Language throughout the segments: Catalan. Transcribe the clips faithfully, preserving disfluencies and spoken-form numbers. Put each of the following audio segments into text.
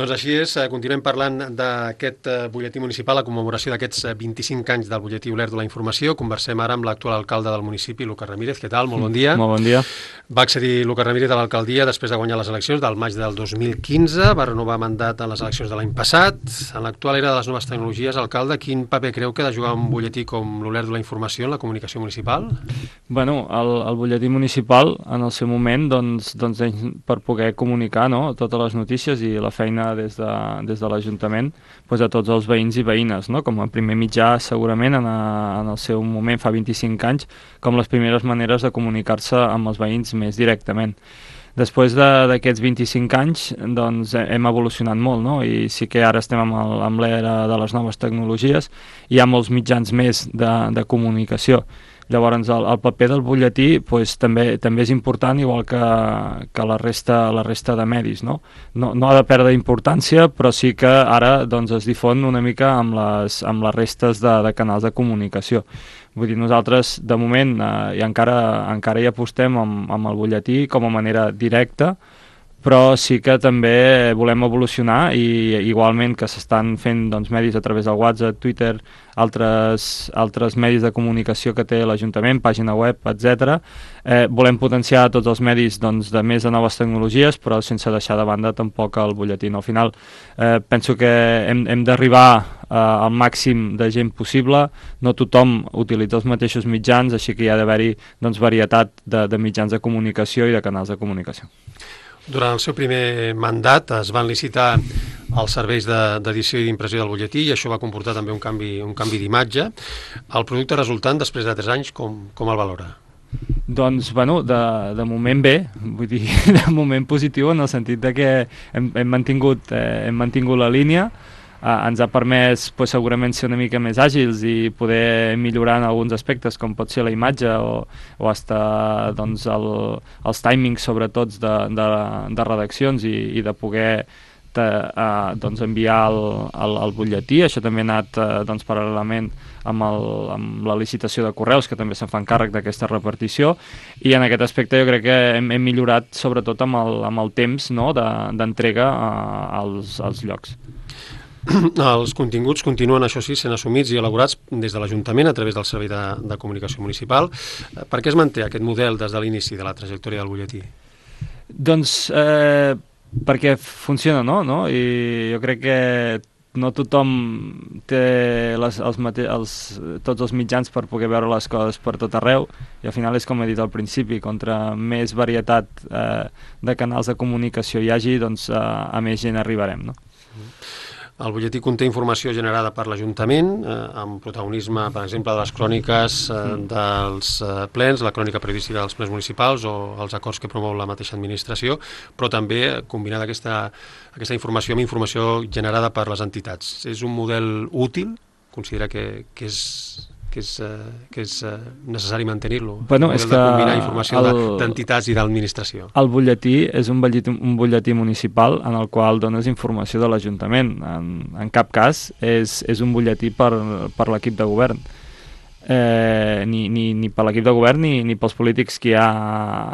Doncs així és, continuem parlant d'aquest butlletí municipal, la commemoració d'aquests vint-i-cinc anys del butlletí Olèrdola de la Informació. Conversem ara amb l'actual alcalde del municipi, Lucas Ramírez. Què tal? Molt bon dia. Molt bon dia. Va accedir Lucas Ramírez a l'alcaldia després de guanyar les eleccions del maig del dos mil quinze, va renovar mandat en les eleccions de l'any passat. En l'actual era de les noves tecnologies, alcalde, quin paper creu que ha de jugar un butlletí com l'Olèrdola de la Informació en la comunicació municipal? Bueno, el, el butlletí municipal, en el seu moment, doncs, doncs per poder comunicar, no?, totes les notícies i la feina des de, des de l'Ajuntament pues, a tots els veïns i veïnes, no?, com a primer mitjà segurament en, a, en el seu moment fa vint-i-cinc anys, com les primeres maneres de comunicar-se amb els veïns més directament. Després d'aquests vint-i-cinc anys doncs, hem evolucionat molt, no? I sí que ara estem amb, el, amb l'era de les noves tecnologies, hi ha molts mitjans més de, de comunicació. Llavors, el, el paper del butlletí pues, també, també és important, igual que, que la, resta, la resta de medis. No? No, no ha de perdre importància, però sí que ara doncs, es difon una mica amb les, amb les restes de, de canals de comunicació. Vull dir, nosaltres, de moment, eh, i encara, encara hi apostem amb, amb el butlletí com a manera directa, però sí que també volem evolucionar i igualment que s'estan fent doncs, medis a través del WhatsApp, Twitter, altres, altres medis de comunicació que té l'Ajuntament, pàgina web, etcètera. Eh, volem potenciar tots els medis doncs, de més de noves tecnologies, però sense deixar de banda tampoc el butlletí. Al final, eh, penso que hem, hem d'arribar eh, al màxim de gent possible, no tothom utilitza els mateixos mitjans, així que hi ha d'haver-hi doncs, varietat de, de mitjans de comunicació i de canals de comunicació. Durant el seu primer mandat es van licitar els serveis d'edició i d'impressió del butlletí i això va comportar també un canvi, un canvi d'imatge. El producte resultant, després de tres anys, com, com el valora? Doncs, bueno, de, de moment bé, vull dir, de moment positiu en el sentit de que hem, hem, mantingut, eh, hem mantingut la línia. Uh, ens ha permès pues, segurament ser una mica més àgils i poder millorar en alguns aspectes com pot ser la imatge o, o hasta doncs, el, els timings sobretot de, de, de redaccions i, i de poder te, uh, doncs, enviar el, el, el butlletí. Això també ha anat uh, doncs, paral·lelament amb, el, amb la licitació de correus, que també se'n fan càrrec d'aquesta repartició, i en aquest aspecte jo crec que hem, hem millorat sobretot amb el, amb el temps, no?, d'entrega de, uh, als, als llocs. Els continguts continuen, això sí, sent assumits i elaborats des de l'Ajuntament a través del Servei de, de Comunicació Municipal. Per què es manté aquest model des de l'inici de la trajectòria del butlletí? Doncs eh, perquè funciona, no? no? I jo crec que no tothom té les, els mate els, tots els mitjans per poder veure les coses per tot arreu i al final és com he dit al principi, contra més varietat eh, de canals de comunicació hi hagi, doncs eh, a més gent arribarem, no? El butlletí conté informació generada per l'Ajuntament, eh, amb protagonisme, per exemple, de les cròniques eh, dels eh, plens, la crònica periodística dels plens municipals o els acords que promou la mateixa administració, però també combinada aquesta, aquesta informació amb informació generada per les entitats. És un model útil? Considera que, que és... que és, uh, que és uh, necessari mantenir-lo, bueno, és que combinar informació d'entitats i d'administració. El butlletí és un butlletí, un butlletí municipal en el qual dones informació de l'Ajuntament. En, en cap cas és, és un butlletí per, per l'equip de govern. Eh, ni, ni, ni per l'equip de govern ni, ni pels polítics que hi ha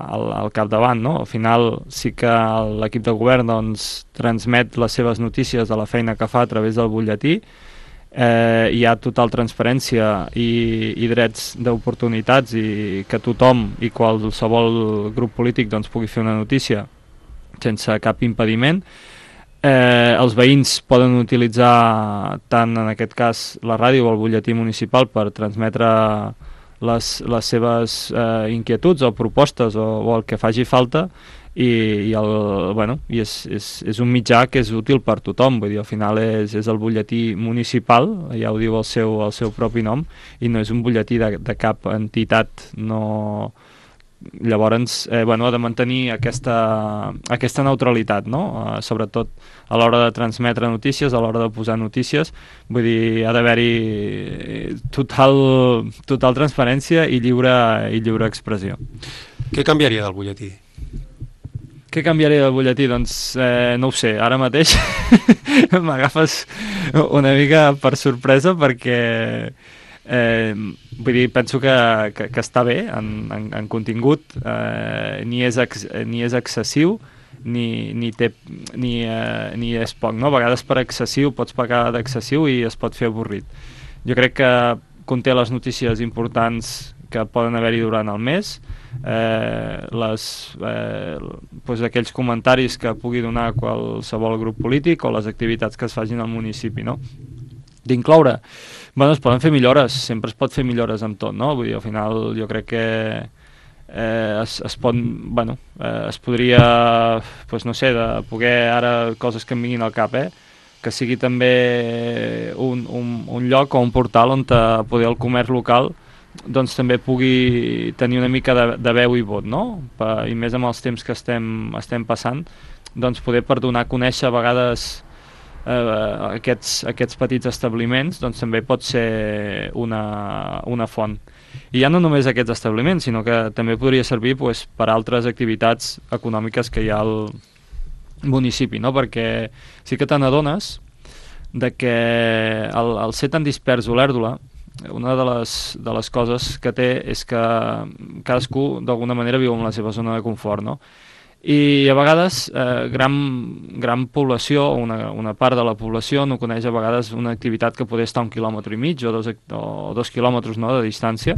al, al capdavant, no? Al final sí que l'equip de govern doncs, transmet les seves notícies de la feina que fa a través del butlletí. Eh, hi ha total transparència i, i drets d'oportunitats i que tothom i qualsevol grup polític doncs, pugui fer una notícia sense cap impediment. Eh, els veïns poden utilitzar tant en aquest cas la ràdio o el butlletí municipal per transmetre les, les seves eh, inquietuds o propostes o, o el que faci falta i, i, el, bueno, i és, és, és un mitjà que és útil per tothom, vull dir, al final és, és el butlletí municipal, ja ho diu el seu, el seu propi nom, i no és un butlletí de, de cap entitat, no... Llavors, eh, bueno, ha de mantenir aquesta, aquesta neutralitat, no? Eh, sobretot a l'hora de transmetre notícies, a l'hora de posar notícies, vull dir, ha d'haver-hi total, total transparència i lliure, i lliure expressió. Què canviaria del butlletí? Què canviaria del butlletí? Doncs eh, no ho sé, ara mateix m'agafes una mica per sorpresa perquè eh, vull dir, penso que, que, que està bé en, en, en contingut, eh, ni, és ex, ni és excessiu ni, ni, té, ni, eh, ni és poc, no? A vegades per excessiu pots pagar d'excessiu i es pot fer avorrit. Jo crec que conté les notícies importants que poden haver-hi durant el mes, eh, les, eh, doncs aquells comentaris que pugui donar qualsevol grup polític o les activitats que es facin al municipi, no? D'incloure, bueno, es poden fer millores, sempre es pot fer millores amb tot, no? Vull dir, al final jo crec que eh, es, es pot, bueno, eh, es podria, doncs no sé, de poder ara coses que em vinguin al cap, eh? Que sigui també un, un, un lloc o un portal on te, poder el comerç local doncs també pugui tenir una mica de, de veu i vot, no? Pa, i més amb els temps que estem, estem passant, doncs poder per donar a conèixer a vegades eh, aquests, aquests petits establiments, doncs també pot ser una, una font. I ja no només aquests establiments, sinó que també podria servir pues, per altres activitats econòmiques que hi ha al municipi, no? Perquè sí que te n'adones de que el, el ser tan dispers Olèrdola, una de les, de les coses que té és que cadascú d'alguna manera viu en la seva zona de confort, no? I a vegades eh, gran, gran població, una, una part de la població no coneix a vegades una activitat que pot estar un quilòmetre i mig o dos, o dos quilòmetres, no, de distància,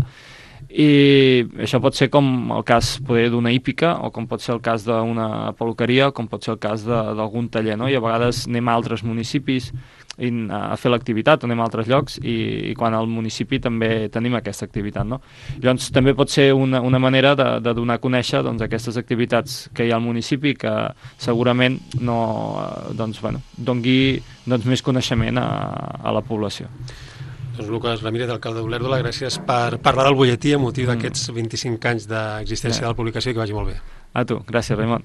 i això pot ser com el cas poder d'una hípica o com pot ser el cas d'una peluqueria o com pot ser el cas d'algun taller, no? I a vegades anem a altres municipis a fer l'activitat, anem a altres llocs i, i quan al municipi també tenim aquesta activitat, no? Llavors també pot ser una, una manera de, de donar a conèixer doncs, aquestes activitats que hi ha al municipi que segurament no, doncs, bueno, dongui doncs, més coneixement a, a la població. Doncs Lucas Ramírez, alcalde d'Olèrdola, gràcies per parlar del butlletí a motiu d'aquests vint-i-cinc anys d'existència de la publicació i que vagi molt bé. A tu, gràcies Raimon.